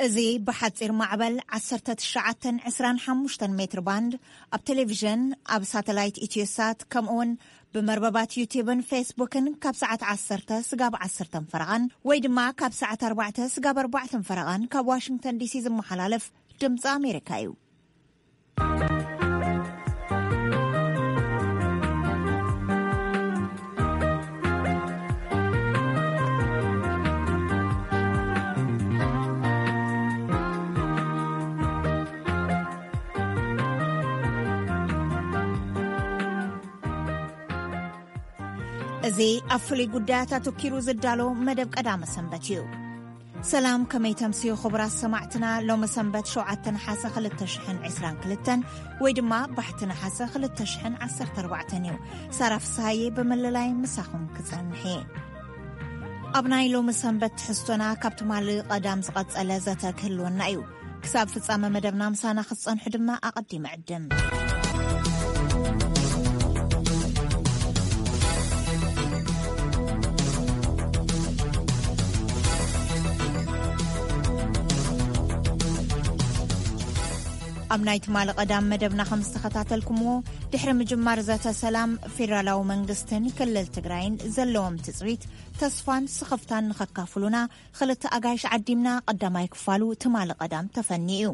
እዚ ብሓጺር ማዕበል ዓሰርተ ትሽዓተ ዕስራን ሓሙሽተን ሜትር ባንድ፣ ኣብ ቴሌቪዥን፣ ኣብ ሳተላይት ኢትዮሳት፣ ከምኡውን ብመርበባት ዩቲዩብን ፌስቡክን ካብ ሰዓት ዓሰርተ ስጋብ ዓሰርተ ፈረቓን ወይ ድማ ካብ ሰዓት ኣርባዕተ ስጋብ ኣርባዕተ ፈረቓን ካብ ዋሽንግተን ዲሲ ዝመሓላለፍ ድምፂ ኣሜሪካ እዩ። እዚ ኣብ ፍሉይ ጉዳያት ኣተኪሩ ዝዳሎ መደብ ቀዳመ ሰንበት እዩ። ሰላም፣ ከመይ ተምስዩ ክቡራት ሰማዕትና? ሎሚ ሰንበት ሸውዓተ ነሓሰ ክልተ ሽሕን ዕስራን ክልተን ወይ ድማ ባሕቲ ነሓሰ ክልተ ሽሕን ዓሰርተ ኣርባዕተን እዩ። ሳራ ፍስሃየ ብምልላይ ምሳኹም ክጸንሕ እየ። ኣብ ናይ ሎሚ ሰንበት ትሕዝቶና ካብ ትማሊ ቀዳም ዝቐጸለ ዘተ ክህልወና እዩ። ክሳብ ፍጻመ መደብና ምሳና ክትጸንሑ ድማ ኣቐዲመ ዕድም። ኣብ ናይ ትማሊ ቀዳም መደብና ከም ዝተኸታተልኩምዎ፣ ድሕሪ ምጅማር ዘተ ሰላም፣ ፌደራላዊ መንግስትን ክልል ትግራይን ዘለዎም ትጽቢት፣ ተስፋን ስኽፍታን ንኸካፍሉና ክልተ ኣጋይሽ ዓዲምና ቀዳማይ ክፋሉ ትማሊ ቀዳም ተፈኒ እዩ።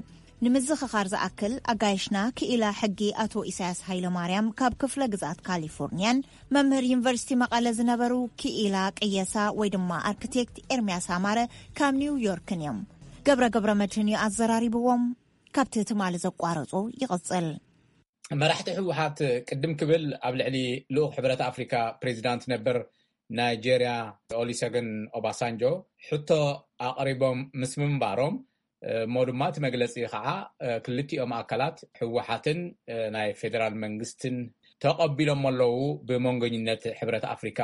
ንምዝኽኻር ዝኣክል፣ ኣጋይሽና ክኢላ ሕጊ ኣቶ ኢሳያስ ሃይለማርያም ካብ ክፍለ ግዝኣት ካሊፎርኒያን መምህር ዩኒቨርሲቲ መቐለ ዝነበሩ ክኢላ ቅየሳ ወይ ድማ ኣርክቴክት ኤርሚያስ ኣማረ ካብ ኒው ዮርክን እዮም። ገብረ ገብረ መድህን እዩ ኣዘራሪብዎም። ካብቲ ትማሊ ዘቋረጾ ይቕጽል። መራሕቲ ህወሓት ቅድም ክብል ኣብ ልዕሊ ልኡኽ ሕብረት ኣፍሪካ ፕሬዚዳንት ነበር ናይጄርያ ኦሊሰገን ኦባሳንጆ ሕቶ ኣቕሪቦም ምስ ምንባሮም፣ እሞ ድማ እቲ መግለፂ ከዓ ክልቲኦም ኣካላት ህወሓትን ናይ ፌደራል መንግስትን ተቐቢሎም ኣለዉ፣ ብመንጎኝነት ሕብረት ኣፍሪካ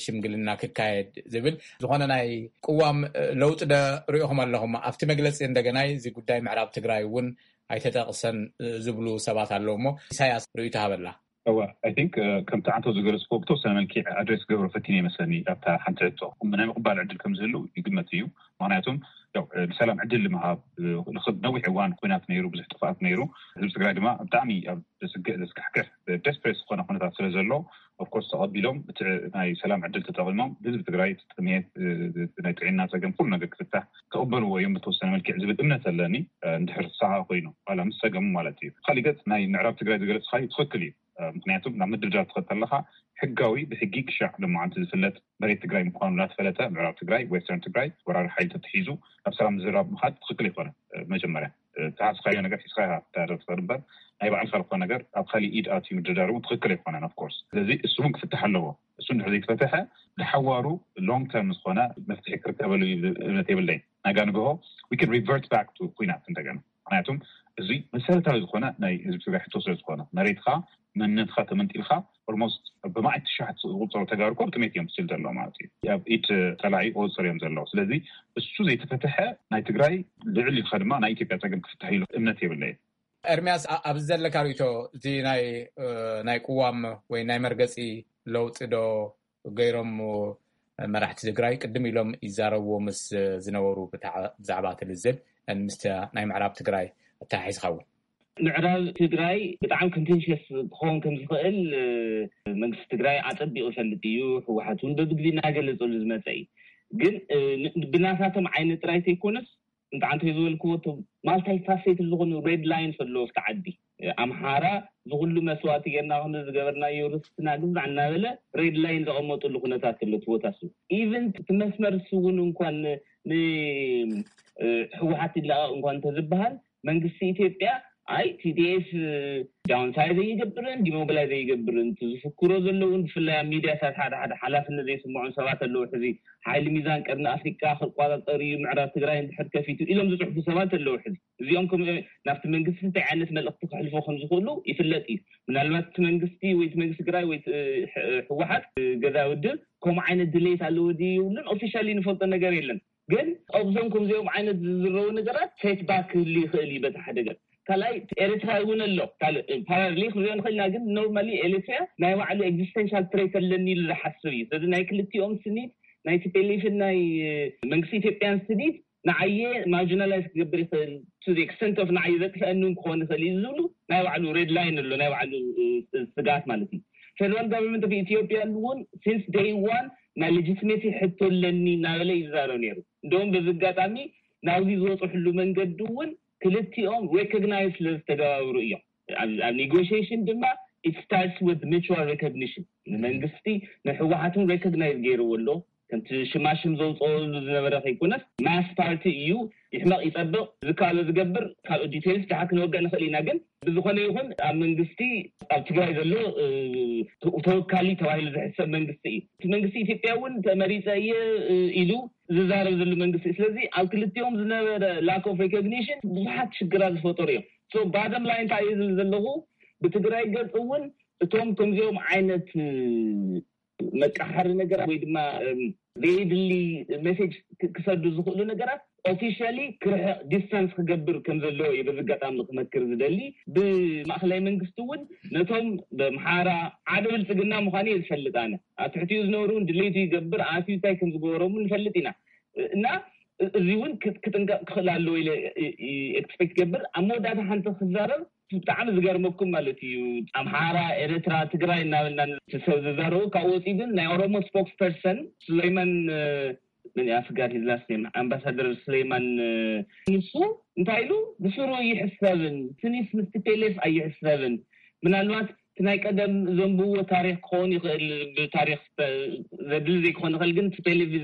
ሽምግልና ክካየድ ዝብል። ዝኾነ ናይ ቅዋም ለውጢ ዶ ርኢኹም ኣለኹም ኣብቲ መግለፂ? እንደገናይ እዚ ጉዳይ ምዕራብ ትግራይ እውን ኣይተጠቕሰን ዝብሉ ሰባት ኣለዉ። እሞ ኢሳያስ ርእይቶ ሃበላ። እወ፣ I think ከምቲ ዓንተው ዝገለጽክዎ ብተወሰነ መልክዕ ኣድሬስ ክገብሮ ፈቲነ ይመስለኒ ኣብታ ሓንቲ ሕቶ። ናይ ምቕባል ዕድል ከም ዝህሉ ይግመት እዩ። ምኽንያቱም ያው ንሰላም ዕድል ንምሃብ፣ ንነዊሕ እዋን ኩናት ነይሩ፣ ብዙሕ ጥፍኣት ነይሩ። ህዝቢ ትግራይ ድማ ብጣዕሚ ኣብ ዘስግእ፣ ዘስካሕክሕ፣ ደስፕሬት ዝኾነ ኩነታት ስለ ዘሎ፣ ኦፍኮርስ ተቐቢሎም እቲ ናይ ሰላም ዕድል ተጠቒሞም ህዝቢ ትግራይ እቲ ጥሜት፣ ናይ ጥዕና ጸገም፣ ኩሉ ነገር ክፍታሕ ክቕበልዎ እዮም ብተወሰነ መልክዕ ዝብል እምነት ኣለኒ። እንድሕር ሳሃ ኮይኑ ዋላ ምስ ጸገሙ ማለት እዩ። ካሊእ ገጽ ናይ ምዕራብ ትግራይ ዝገለጽካዩ ትኽክል እዩ። ምክንያቱም ናብ ምድርዳር ትኸድ ኣለኻ ሕጋዊ ብሕጊ ክሻዕ ለማዓንቲ ዝፍለጥ መሬት ትግራይ ምኳኑ እናተፈለጠ ምዕራብ ትግራይ፣ ዌስተርን ትግራይ ወራሪ ሓይሊ ተትሒዙ ናብ ሰላም ዝራብ ምኻድ ትኽክል ኣይኮነ። መጀመርያ ተሓስኻዮ ነገር ሒዝካ ኢኻ ትዳረር ትኽእል እምበር ናይ ባዕልካ ዝኾነ ነገር ኣብ ካሊእ ኢድ ኣትዩ ምድርዳር እውን ትኽክል ኣይኮነን። ኦፍኮርስ ስለዚ እሱ እውን ክፍትሕ ኣለዎ። እሱ እንድሕር ዘይተፈተሐ ንሓዋሩ ሎንግ ተርም ዝኾነ መፍትሒ ክርከበሉ እዩ እምነት የብለይ። ናጋ ንግሆ we can revert back to ኩናት እንደገና። ምክንያቱም እዚ መሰረታዊ ዝኾነ ናይ ህዝቢ ትግራይ ሕቶ ስለ ዝኾነ መሬትካ መንነትካ ተመንጢልካ ኦልሞስት ብማዕት ትሽዓት ዝቁፀሩ ተጋሩ እኮ ብጥሜት እዮም ስል ዘለዉ ማለት እዩ። ኣብ ኢድ ፀላኢ ቁፅፅር እዮም ዘለዉ። ስለዚ እሱ ዘይተፈተሐ ናይ ትግራይ ልዕል ኢልካ ድማ ናይ ኢትዮጵያ ፀገም ክፍታሕ ኢሉ እምነት የብለይ። ኤርሚያስ፣ ኣ- ኣብዚ ዘለካ ርእቶ እቲ ናይ እ፣ ናይ ቅዋም ወይ ናይ መርገፂ ለውጢ ዶ ገይሮም መራሕቲ ትግራይ ቅድም ኢሎም ይዛረብዎ ምስ ዝነበሩ ብታ- ብዛዕባ እቲ ልዝብ ምስቲ ናይ ምዕራብ ትግራይ ኣተሓሒዝካ እውን? ምዕራብ ትግራይ ብጣዕሚ ኮንቴንሽስ ክኸውን ከም ዝኽእል መንግስቲ ትግራይ ኣፀቢቑ ይፈልጥ እዩ። ህወሓት እውን በብግዜ እናገለፀሉ ዝመፀ እዩ። ግን ብናሳቶም ዓይነት ጥራይ ዘይኮነስ እንተዓንተ ዝበልክዎ እቶም ማልታይ ፋሴት ዝኾኑ ሬድ ላይንስ ኣለዎ ኣብቲ ዓዲ። ኣምሓራ ዝኩሉ መስዋእቲ ጌርና ክንዲ ዝገበርናዮ ርስትና ግዛዕ እናበለ ሬድ ላይን ዘቐመጡሉ ኩነታት ኣሎ እቲ ቦታ እሱ። ኢቨን እቲ መስመር እሱ እውን እንኳን ንህወሓት ይለቐቕ እንኳን እንተዝበሃል መንግስቲ ኢትዮጵያ ኣይ ቲዲኤፍ ዳውንሳይዝ ኣይገብርን ዲሞቢላይዝ ኣይገብርን ዝፍክሮ ዘለውን ብፍላይ ኣብ ሚዲያታት ሓደ ሓደ ሓላፍነት ዘይስምዖም ሰባት ኣለዉ። ሕዚ ሓይሊ ሚዛን ቀርኒ ኣፍሪቃ ክቋፃፀር እዩ ምዕራብ ትግራይ እንድሕር ከፊቱ ኢሎም ዝፅሕፉ ሰባት ኣለዉ። ሕዚ እዚኦም ከም ናብቲ መንግስቲ እንታይ ዓይነት መልእክቲ ክሕልፎ ከም ዝኽእሉ ይፍለጥ እዩ። ምናልባት እቲ መንግስቲ ወይ እቲ መንግስቲ ትግራይ ወይ ህወሓት ገዛ ውድብ ከምኡ ዓይነት ድሌት ኣለዎ ድዩ የብሉን ኦፊሻሊ ንፈልጦ ነገር የለን። ግን ኣብዞም ከምዚኦም ዓይነት ዝዝረቡ ነገራት ሴት ባክ ክህሉ ይኽእል እዩ በቲ ሓደ ገጽ። ካልኣይ ኤርትራ እውን ኣሎ ካልእ ፓራሌል ክንሪኦ ንኽእል ኢና። ግን ኖርማሊ ኤርትራ ናይ ባዕሉ ኤግዚስተንሻል ትሬት ኣለኒ ኢሉ ዝሓስብ እዩ። ስለዚ ናይ ክልቲኦም ስኒት ናይ ቲፒኤልኤፍን ናይ መንግስቲ ኢትዮጵያን ስኒት ንዓየ marginalize ክገብር ይኽእል to the extent of ንዓየ ዘጥፍአኒ ክኾን ይኽእል እዩ ዝብሉ ናይ ባዕሉ red line ኣሎ፣ ናይ ባዕሉ ስጋት ማለት እዩ። Federal Government of Ethiopia እውን since day one ናይ legitimacy ሕቶ ኣለኒ እናበለ ይዛረብ ነይሩ። እንደውም በዚ ኣጋጣሚ ናብዚ ዝወፅሕሉ መንገዲ እውን ክልቲኦም recognize ስለ ዝተገባብሩ እዮም። ኣብ negotiation ድማ it starts with mutual recognition። ንመንግስቲ ንህወሓትን recognize ገይርዎ ኣሎ። ከምቲ ሽማሽም ዘውፅኦሉ ዝነበረ ከይኮነስ mass party እዩ። ይሕመቕ ይፀብቕ ዝከኣሎ ዝገብር ካልኦት details ድሓ ክንወግዕ ንኽእል ኢና። ግን ብዝኾነ ይኹን ኣብ መንግስቲ ኣብ ትግራይ ዘሎ ተወካሊ ተባሂሉ ዝሕሰብ መንግስቲ እዩ። እቲ መንግስቲ ኢትዮጵያ እውን ተመሪፀ እየ ኢሉ ዝዛረብ ዘሎ መንግስቲ። ስለዚ ኣብ ክልቲኦም ዝነበረ lack of recognition ብዙሓት ሽግራት ዝፈጠሩ እዮም። So bottom line እንታይ እየ ዝብል ዘለኹ፣ ብትግራይ ገፅ እውን እቶም ከምዚኦም ዓይነት መቃሓሪ ነገራት ወይ ድማ ዘይድሊ message ክሰዱ ዝኽእሉ ነገራት officially ክርሕቕ distance ክገብር ከም ዘለዎ እዩ በዚ ኣጋጣሚ ክመክር ዝደሊ። ብማእኸላይ መንግስቲ እውን ነቶም ብኣምሓራ ሓደ ብልፅግና ምዃኑ እየ ዝፈልጥ ኣነ። ኣብ ትሕቲኡ ዝነብሩ እውን ድሌቱ ይገብር ኣትዩ እንታይ ከም ዝገበሮም ንፈልጥ ኢና እና እዚ እውን ክጥንቀቕ ክኽእል ኣለዎ ኢለ expect ገብር። ኣብ መወዳእታ ሓንቲ ክዛረብ ብጣዕሚ ዝገርመኩም ማለት እዩ ኣምሓራ ኤርትራ ትግራይ እናበልና ሰብ ዝዛረቡ ካብ ወፂኡ ግን ናይ ኦሮሞ spokesperson ሱሌይማን ምን ኣፍጋር his last name ኣምባሳደር ሱሌይማን ንሱ እንታይ ኢሉ ብስሩ ይሕሰብን ስኒስ ምስ ቲፒኤልኤፍ ኣይሕሰብን ምናልባት እቲ ናይ ቀደም ዘንብዎ ታሪክ ክኸውን ይኽእል ብታሪክ ዘድሊ ዘይክኾን ይኽእል ግን ቲፒኤልኤፍ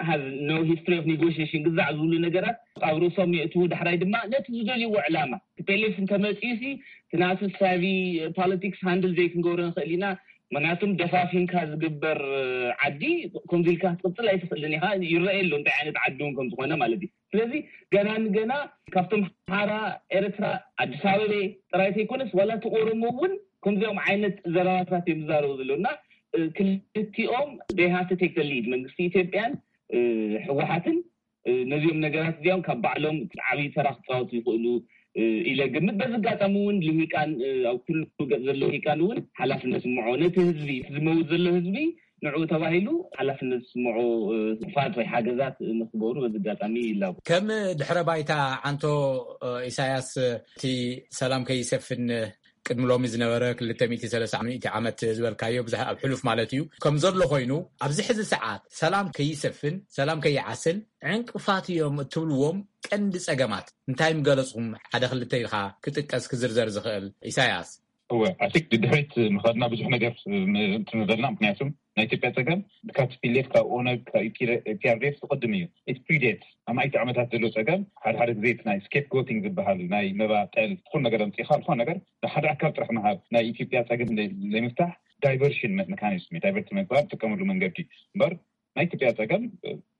has no history of negotiation ግዛዕ ዝብሉ ነገራት ኣብ ርእሶም የእትዉ ዳሕራይ ድማ ነቲ ዝደልይዎ ዕላማ ቲፒኤልኤፍ እንተመፅኡ ሲ እቲ ናቱ ሳቪ politics handle ዘይክንገብሮ ንኽእል ኢና ምክንያቱም ደፋፊንካ ዝግበር ዓዲ ከምዚ ኢልካ ክትቅፅል ኣይትኽእልን ኢኻ ይረአ ኣሎ እንታይ ዓይነት ዓዲ እውን ከም ዝኾነ ማለት እዩ ስለዚ ገና ንገና ካብቶም ሓራ ኤርትራ ኣዲስ ኣበበ ጥራይ ዘይኮነስ ዋላ እቲ ኦሮሞ እውን ከምዚኦም ዓይነት ዘረባታት እዮም ዝዛረቡ ዘለዉ እና ክልቲኦም they have to take the lead መንግስቲ ኢትዮጵያን ህወሓትን ነዚኦም ነገራት እዚኦም ካብ ባዕሎም ዓብዪ ተራ ክፃወቱ ይኽእሉ ኢለ ግምት በዚ ኣጋጣሚ እውን ልሂቃን ኣብ ኩሉ ገፅ ዘሎ ልሂቃን እውን ሓላፍነት ስምዖ ነቲ ህዝቢ ዝመውት ዘሎ ህዝቢ ንዕኡ ተባሂሉ ሓላፍነት ዝስምዖ ክፋት ወይ ሓገዛት ንክገብሩ በዚ ኣጋጣሚ ይላቡ። ከም ድሕረ ባይታ ዓንቶ ኢሳያስ እቲ ሰላም ከይሰፍን ቅድሚ ሎሚ ዝነበረ ክልተ ሚእቲ ሰለስተ ሚእቲ ዓመት ዝበልካዮ ብዙሕ ኣብ ሕሉፍ ማለት እዩ ከም ዘሎ ኮይኑ ኣብዚ ሕዚ ሰዓት ሰላም ከይሰፍን ሰላም ከይዓስል ዕንቅፋት እዮም እትብልዎም ቀንዲ ጸገማት እንታይ ምገለጽኩም ሓደ ክልተ ኢልካ ክጥቀስ ክዝርዘር ዝኽእል ኢሳያስ? እወ ኣቲክ ድድሕሪት ምኸድና ብዙሕ ነገር ትንበልና ምክንያቱም ናይ ኢትዮጵያ ጸገም ካብ ቲፒኤልኤፍ ካብ ኦነግ ካብ ኢፒአርዴፍ ዝቅድም እዩ። ኢት ፕሪዴት ኣማይቲ ዓመታት ዘሎ ጸገም ሓደ ሓደ ግዜ ናይ ስኬፕ ጎቲንግ ዝበሃል ናይ መባጠል ዝኾን ነገር ኣምፂኻ ዝኾን ነገር ንሓደ ኣካል ጥራሕ ምሃብ ናይ ኢትዮጵያ ጸገም ዘይምፍታሕ ዳይቨርሽን መካኒዝም ዳይቨርት መግባር ዝጥቀመሉ መንገዲ እምበር ናይ ኢትዮጵያ ጸገም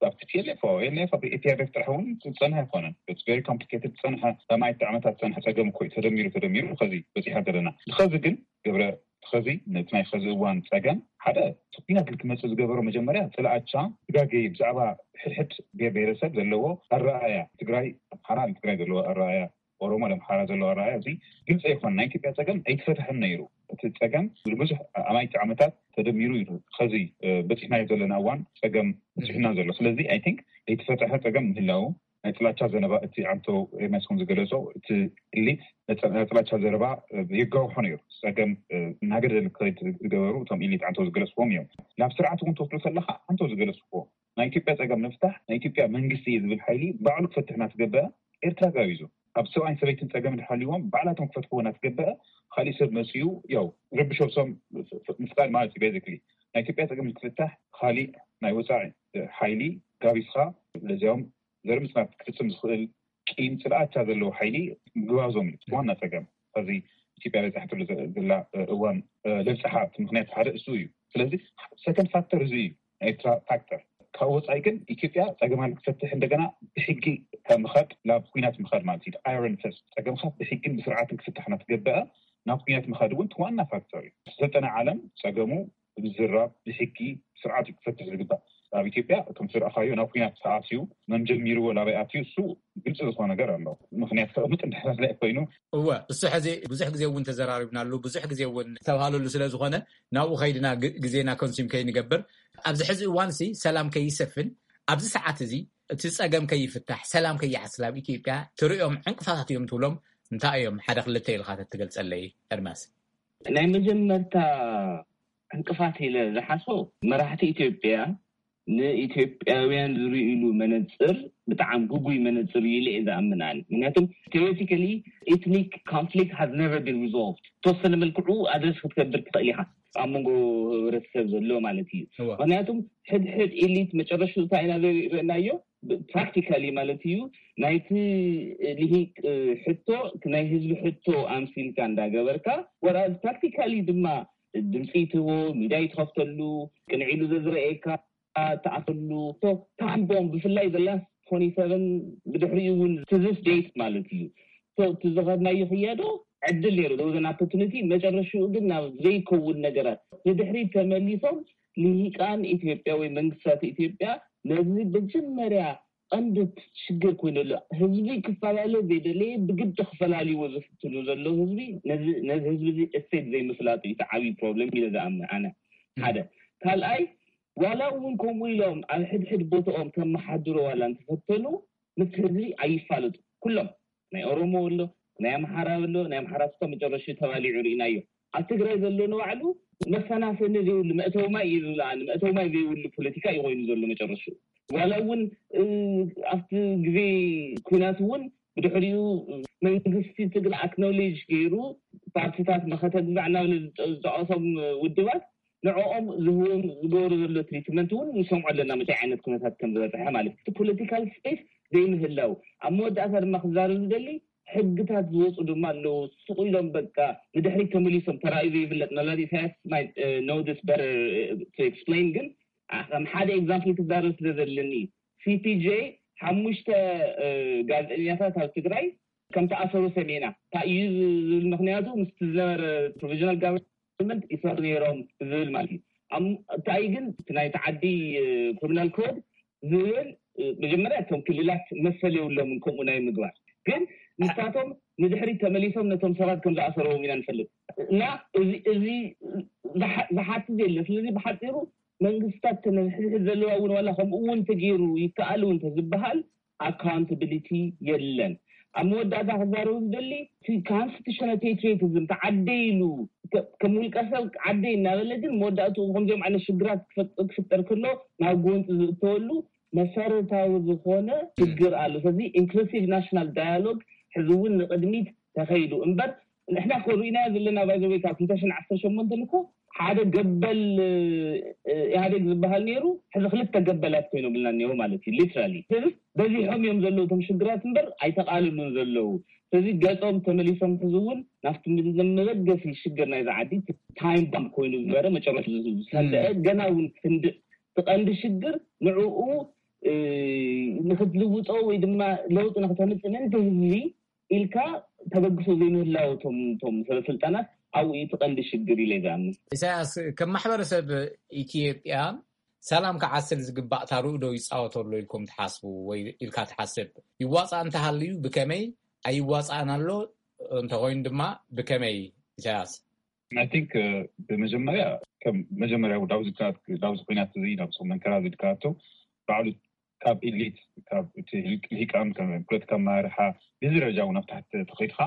ኣብ ቲፒኤልኤፍ ኤልኤፍ ኣብ ኢፒአርኤፍ ጥራሕ እውን ዝጸንሐ ኣይኮነን። ቨሪ ኮምፕሊኬትድ ዝጸንሐ ኣማይቲ ዓመታት ዝጸንሐ ጸገም እኮ እዩ ተደሚሩ ተደሚሩ ከዚ በፂሓ ዘለና ንኸዚ ግን ገብረ ኸዚ ነቲ ናይ ኸዚ እዋን ጸገም ሓደ ኩናት ክመጽእ ዝገበሮ መጀመርያ ጥላቻ ስጋገይ ብዛዕባ ሕድሕድ ብሄር ብሄረሰብ ዘለዎ ኣረኣያ ትግራይ ኣምሓራ ትግራይ ዘለዎ ኣረኣያ ኦሮሞ ኣምሓራ ዘለዎ ኣረኣያ እዚ ግልፂ ኣይኮነ ናይ ኢትዮጵያ ጸገም ኣይተፈትሐን ነይሩ እቲ ጸገም ብዙሕ ኣማይቲ ዓመታት ተደሚሩ እዩ ኸዚ በፂሕናዮ ዘለና እዋን ጸገም በፂሑና ዘሎ ስለዚ ኣይ ቲንክ ዘይተፈትሐ ጸገም ምህላው ናይ ጥላቻ ዘረባ እቲ ዓንቶ ኤርሚያስ ከም ዝገለጾ እቲ ኢሊት ናይ ጥላቻ ዘረባ የጋውሖ ነይሩ። ጸገም እናገደደ ክኸይድ ዝገበሩ እቶም ኢሊት ዓንቶ ዝገለጽዎም እዮም። ናብ ስርዓት እውን ትወስዶ ከለኻ ዓንቶ ዝገለጽዎ ናይ ኢትዮጵያ ጸገም ንምፍታሕ ናይ ኢትዮጵያ መንግስቲ እየ ዝብል ሓይሊ ባዕሉ ክፈትሕ እናተገበረ ኤርትራ ጋቢዙ ኣብ ሰብኣይን ሰበይትን ጸገም እንድሕር ሃልይዎም ባዕላቶም ክፈትሕዎ እናተገበረ ካሊእ ሰብ መጺኡ ያው ረብሾም ምፍጣር ማለት እዩ። ቤዚክሊ ናይ ኢትዮጵያ ጸገም ክፍታሕ ካሊእ ናይ ወጻኢ ሓይሊ ጋቢዝኻ ለዚያውም ዘርኢ ምጽናት ክፍጽም ዝኽእል ቂም ጽልኣቻ ዘለዎ ሓይሊ ምግባዞም እዩ ዋና ጸገም። ከዚ ኢትዮጵያ በጻሕትሉ ዘላ እዋን ለብጽሓ ምክንያት ሓደ እሱ እዩ። ስለዚ ሰከንድ ፋክተር እዚ እዩ ናይ ኤርትራ ፋክተር። ካብ ወጻኢ ግን ኢትዮጵያ ጸገማ ክትፈትሕ እንደገና ብሕጊ ምኻድ ናብ ኩናት ምኻድ ማለት እዩ። ኣይረን ፈስት ጸገምካ ብሕግን ብስርዓትን ክፍታሕ እናተገበአ ናብ ኩናት ምኻድ እውን ዋና ፋክተር እዩ። ሰልጠነ ዓለም ጸገሙ ብዝራብ ብሕጊ ስርዓት እዩ ክፈትሕ ዝግባእ። ኣብ ኢትዮጵያ ከም ዝረኣኻዮ ናብ ኩናት ተኣትዩ መን ጀሚርዎ ናበይ ኣትዩ እሱ ግልፂ ዝኾነ ነገር ኣሎ። ምክንያት ከቕምጥ እንድሕር ኮይኑ እወ እሱ ሕዚ ብዙሕ ግዜ እውን ተዘራሪብናሉ ብዙሕ ግዜ እውን ዝተባሃለሉ ስለ ዝኾነ ናብኡ ከይድና ግዜና ኮንሱም ከይንገብር ኣብዚ ሕዚ እዋን ሲ ሰላም ከይሰፍን ኣብዚ ሰዓት እዚ እቲ ጸገም ከይፍታሕ፣ ሰላም ከይሓስል ኣብ ኢትዮጵያ ትርእዮም ዕንቅፋታት እዮም ትብሎም እንታይ እዮም? ሓደ ክልተ ኢልካ ተትገልጸለይ ኤርማስ። ናይ መጀመርታ ዕንቅፋት ኢለ ዝሓስቦ፣ መራሕቲ ኢትዮጵያ ንኢትዮጵያውያን ዝርእይሉ መነፅር ብጣዕሚ ግጉይ መነፅር እዩ ኢለ እየ ዝኣምን ኣነ። ምክንያቱም theoretically ethnic conflict has never been resolved። ተወሰነ መልክዑ ኣድረስ ክትገብር ትኽእል ኢኻ ኣብ መንጎ ህብረተሰብ ዘሎ ማለት እዩ። ምክንያቱም ሕድሕድ ኢሊት መጨረሽኡ እንታይ ኢና ርናዮ? ፕራክቲካሊ ማለት እዩ፣ ናይቲ ልሂቅ ሕቶ ናይ ህዝቢ ሕቶ ኣምሲልካ እንዳገበርካ፣ ወራዝ ፕራክቲካሊ ድማ ድምፂ ትህቦ፣ ሚድያ ይትኸፍተሉ፣ ቅንዒሉ ዘዝረኤካ ትኣፈሉ። ታይም ቦምብ ብፍላይ ዘላ ፎኒ ሰቨን ብድሕሪኡ እውን ትዝስ ዴት ማለት እዩ። እቲ ዝኸድናዮ ክያዶ ዕድል ነይሩ፣ ዘውዘን ኣፖርቱኒቲ። መጨረሽኡ ግን ናብ ዘይከውን ነገራት ንድሕሪት ተመሊሶም ልሂቃን ኢትዮጵያ ወይ መንግስታት ኢትዮጵያ ነዚ መጀመርያ ቀንዲ ሽግር ኮይኑ ኣሎ። ህዝቢ ክፈላለ ዘይደለየ ብግዲ ክፈላልዎ ዝፍትኑ ዘሎ ህዝቢ ነዚ ህዝቢ እዚ እሴት ዘይምፍላጡ እዩ እቲ ዓብዪ ፕሮብለም ኢለ ዝኣምን ኣነ። ሓደ ካልኣይ ዋላ እውን ከምኡ ኢሎም ኣብ ሕድሕድ ቦታኦም ከመሓድሮ ዋላ እንተፈተኑ ምስ ህዝቢ ኣይፋለጡ ኩሎም ናይ ኦሮሞ ኣሎ ናይ ኣምሓራ ኣሎ ናይ ኣምሓራ ስኮ መጨረሹ ተባሊዑ ርኢናዮ። ኣብ ትግራይ ዘሎ ንባዕሉ መፈናፈኒ ዘይብሉ መእተዊ ማይ እዩ ዝብልኣኒ መእተዊ ማይ ዘይብሉ ፖለቲካ እዩ ኮይኑ ዘሎ መጨረሹ። ዋላ እውን ኣብቲ ግዜ ኩናት እውን ብድሕሪኡ መንግስቲ ትግራይ ኣክኖሌጅ ገይሩ ፓርቲታት መኸተ ግዛዕ እናበለ ዝጠቀሶም ውድባት ንዕኦም ዝህቦም ዝገበሩ ዘሎ ትሪትመንት እውን ንሰምዖ ኣለና መታይ ዓይነት ኩነታት ከም ዝበፅሐ ማለት እቲ ፖለቲካል ስፔስ ዘይምህላው። ኣብ መወዳእታ ድማ ክዛረብ ዝደሊ ሕግታት ዝወፁ ድማ ኣለዉ። ስቕ ኢሎም በቃ ንድሕሪት ተመሊሶም ተራእዩ ዘይፍለጥ መላዲ ኢሳያስ ኖ ስ በተር ኤክስፕሌን ግን ከም ሓደ ኤግዛምፕል ክዛረብ ስለ ዘለኒ ሲፒጄ ሓሙሽተ ጋዜጠኛታት ኣብ ትግራይ ከም ተኣሰሩ ሰሚዕና። እንታይ እዩ ዝብል ምክንያቱ ምስቲ ዝነበረ ፕሮቪዥናል ጋቨርንመንት ይሰሩ ነይሮም ዝብል ማለት እዩ። እንታይ ግን እቲ ናይቲ ዓዲ ክሪሚናል ኮድ ዝብል መጀመርያ እቶም ክልላት መሰል የብሎምን ከምኡ ናይ ምግባር ግን ንሳቶም ንድሕሪት ተመሊሶም ነቶም ሰባት ከም ዝኣሰርዎም ኢና ንፈልጥ እና እዚ ዝሓትት የለን። ስለዚ ብሓፂሩ መንግስታት ተነሕድሕድ ዘለዋ እውን ዋላ ከምኡ እውን ተገይሩ ይከኣል እውን ተዝበሃል ኣካውንታብሊቲ የለን። ኣብ መወዳእታ ክዛረቡ ዝደሊ እቲ ኮንስቲቱሽናል ፓትሪዮቲዝም ተዓደ ኢሉ ከም ውልቀሰብ ዓደ እናበለ ግን መወዳእትኡ ከምዚኦም ዓይነት ሽግራት ክፍጠር ከሎ ናብ ጎንፂ ዝእተወሉ መሰረታዊ ዝኾነ ሽግር ኣሎ። ስለዚ ኢንክሉሲቭ ናሽናል ዳያሎግ ሕዚ እውን ንቅድሚት ተኸይዱ እምበር ንሕና ኮሪእናዮ ዘለና ባይዘወይ ካብ ክልተ ሽሕን ዓሰርተ ሸሞንተን እኮ ሓደ ገበል ኢህኣዴግ ዝበሃል ነይሩ ሕዚ ክልተ ገበላት ኮይኖም ብልና እኒሆ ማለት እዩ። ሊትራሊ በዚሖም እዮም ዘለዉ እቶም ሽግራት እምበር ኣይተቃልሉን ዘለዉ። ስለዚ ገፆም ተመሊሶም ሕዚ እውን ናብቲ መበገሲ ሽግር ናይዚ ዓዲ ታይም ባምብ ኮይኑ ዝበረ መጨረሹ ዝሰንደአ ገና እውን ክንድእ እቲ ቀንዲ ሽግር ንዕኡ ንክትልውጦ ወይ ድማ ለውጢ ንክተምፅእ ምእንቲ ህዝቢ ኢልካ ተበግሶ ዘይምህላው እቶም እቶም ሰበስልጣናት ኣብኡ እዩ እቲ ቀንዲ ሽግር ኢለ ዝኣምን። ኢሳያስ፣ ከም ማሕበረሰብ ኢትዮጵያ ሰላም ክዓስል ዝግባእ ተራ ዶ ይፃወት ኣሎ ኢልኩም ትሓስቡ ወይ ኢልካ ትሓስብ? ይዋፃእ እንተሃልዩ ብከመይ? ኣይዋፃእን ኣሎ እንተኮይኑ ድማ ብከመይ? ኢሳያስ። I think ብመጀመርያ ከም መጀመርያ ዳውዚ ዳውዚ ኩናት እዚ ናብ ጾም መንከራ ዝድካቶ ባዕሉ ካብ ኢሊት ካብ እቲ ልሂቃን ፖለቲካ ኣመራርሓ ብዚ ደረጃ እውን ኣብ ታሕቲ ተኸይድካ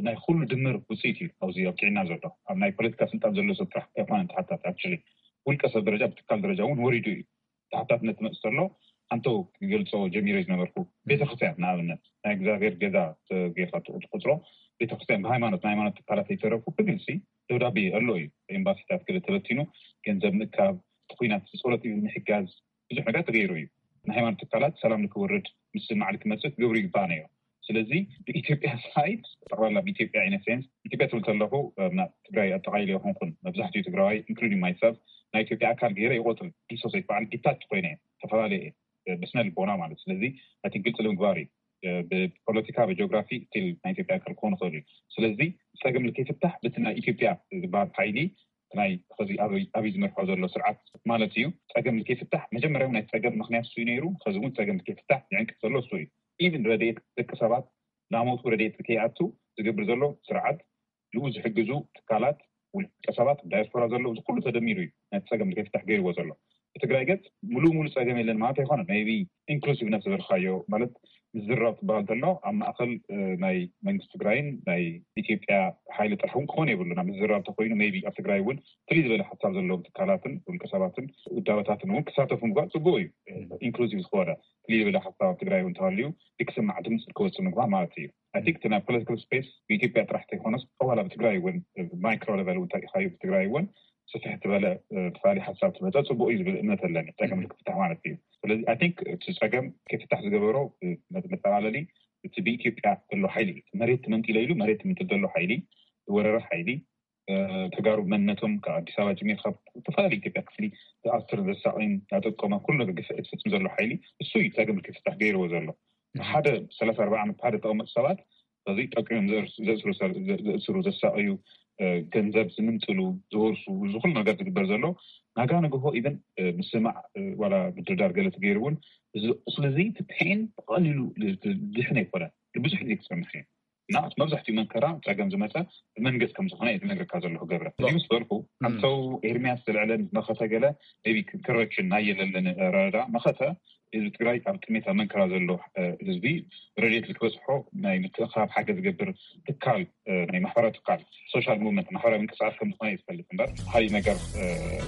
ናይ ኩሉ ድምር ውፅኢት እዩ ኣብዚ ኣብቂዕና ዘሎ ኣብ ናይ ፖለቲካ ስልጣን ዘሎ ሰብ ጥራሕ ኣይኮነን ተሓታት actually ውልቀ ሰብ ደረጃ ብትካል ደረጃ እውን ወሪዱ እዩ ተሓታትነት ትመፅእ ዘሎ ኣንተው ክገልፆ ጀሚረ ዝነበርኩ ቤተክርስትያን ንኣብነት ናይ እግዚኣብሔር ገዛ ጌርካ ትቁፅሮ ቤተክርስትያን ብሃይማኖት ናይ ሃይማኖት ትካላት ዘይተረፉ ብግልፂ ደብዳቤ ኣሎ እዩ ኤምባሲታት ገለ ተበቲኑ ገንዘብ ምእካብ እቲ ኩናት ጸሎት እዩ ምሕጋዝ ብዙሕ ነገር ተገይሩ እዩ ንሃይማኖት ትካላት ሰላም ንክወርድ ምስ ማዕል ክመፅእ ክገብሩ ይግባእ ነይሩ ስለዚ ብኢትዮጵያ ሳይድ ጠቅላላ ብኢትዮጵያ ኢነሴንስ ኢትዮጵያ ትብል ከለኹ ትግራይ ኣጠቃሊለ ይኮንኩን መብዛሕትኡ ትግራዋይ ኢንክሉዲንግ ማይሰልፍ ናይ ኢትዮጵያ ኣካል ገይረ ይቆፅር ዲሶሴት በዓል ዲታች ኮይነ ተፈላለየ ብስነ ልቦና ማለት ስለዚ እቲ ግልፂ ንምግባር እዩ ብፖለቲካ ብጂኦግራፊ ስቲል ናይ ኢትዮጵያ ኣካል ክኾኑ ይኽእሉ እዩ ስለዚ ፀገም ንከይፍታሕ በቲ ናይ ኢትዮጵያ ዝበሃል ሓይሊ ናይ ዚ ኣብይ ዝመርሖ ዘሎ ስርዓት ማለት እዩ ፀገም ንከይፍታሕ መጀመርያ ናይ ፀገም ምክንያት እሱ ነይሩ ከዚ እውን ፀገም ንከይፍታሕ ዝዕንቅፍ ዘሎ እሱ እዩ ኢቭን ረድኤት ደቂ ሰባት ናሞቱ ረድኤት ከይኣቱ ዝገብር ዘሎ ስርዓት ንኡ ዝሕግዙ ትካላት ውልቀ ሰባት ዳያስፖራ ዘለዉ እዚ ኩሉ ተደሚሩ እዩ ነቲ ፀገም ከይፍታሕ ገይርዎ ዘሎ ትግራይ ገጽ ሙሉእ ሙሉእ ጸገም የለን ማለት ኣይኮነን። maybe inclusiveness ዝበልካዮ ማለት ምዝራብ ትበሃል ዘሎ ኣብ ማእኸል ናይ መንግስቲ ትግራይን ናይ ኢትዮጵያ ሓይሊ ጥራሕ እውን ክኾን የብሉና። ምዝራብ ተኮይኑ maybe ኣብ ትግራይ እውን ፍልይ ዝበለ ሓሳብ ዘለዎም ትካላትን ውልቀ ሰባትን ውዳበታትን እውን ክሳተፉ ምግባር ጽቡቅ እዩ። ኢንክሉሲቭ ዝኾነ ፍልይ ዝበለ ሓሳብ ኣብ ትግራይ እውን ተሃልዩ ክስማዕ ድምፂ ክወፅእ ምግባር ማለት እዩ። I think እቲ ናይ ፖለቲካል ስፔስ ብኢትዮጵያ ጥራሕ ተይኮነስ ጠዋላ ብትግራይ እውን ማይክሮ ሌቨል እውን ተሪኢኻዮ ብትግራይ እውን ስፍሕ ዝበለ ተፋሊ ሓሳብ ትመፀ ፅቡቅ እዩ ዝብል እምነት ኣለኒ። ፀገም ክፍታሕ ማለት እዩ። ስለዚ I think እቲ ፀገም ከይፍታሕ ዝገበሮ መጠቃለሊ እቲ ብኢትዮጵያ ዘሎ ሓይሊ እዩ። መሬት ትመንጢለ ኢሉ መሬት ትምንጥል ዘሎ ሓይሊ፣ ዝወረረ ሓይሊ፣ ተጋሩ መንነቶም ካብ ኣዲስ ኣበባ ጀሚር ካብ ዝተፈላለዩ ኢትዮጵያ ክፍሊ ዝኣስር ዘሳቕይን ያጠቆመ ኩሉ ነገር ግፍዒ ዝፍፅም ዘሎ ሓይሊ እሱ እዩ። ፀገም ክፍታሕ ገይርዎ ዘሎ ሓደ ሰላሳ ኣርባዓ ዓመት ሓደ ተቐመጡ ሰባት በዚ ጠቂሞም ዘእስሩ ዘሳቅዩ፣ ገንዘብ ዝምንጥሉ፣ ዝወርሱ፣ ዝኩሉ ነገር ዝግበር ዘሎ ናጋ ንግሆ ኢቨን ምስማዕ ዋላ ምድርዳር ገለ ተገይሩ እውን እዚ ቁስሊ እዚ ትትሕን ብቀሊሉ ድሕን ኣይኮነ ብዙሕ ግዜ ክፀንሕ እዩ። እና መብዛሕትኡ መንከራ ፀገም ዝመፀ ብመንገስ ከም ዝኾነ እየ ዝነግረካ ዘለኹ ገብረ። እዚ ምስ በልኩ ኣንተው ኤርሚያስ ዘልዕለን መኸተ ገለ ቢ ኮረክሽን ናይ የለለን ረዳ መኸተ ህዝቢ ትግራይ ኣብ ጥሜት ኣብ መንከራ ዘሎ ህዝቢ ረድኤት ልክበፅሖ ናይ ምትእኻብ ሓገዝ ዝገብር ትካል ናይ ማሕበራዊ ትካል ሶሻል ሙቭመንት ማሕበራዊ ምንቅስቃስ ከም ዝኾነ ይፈልጥ እምበር ሓይሊ ነገር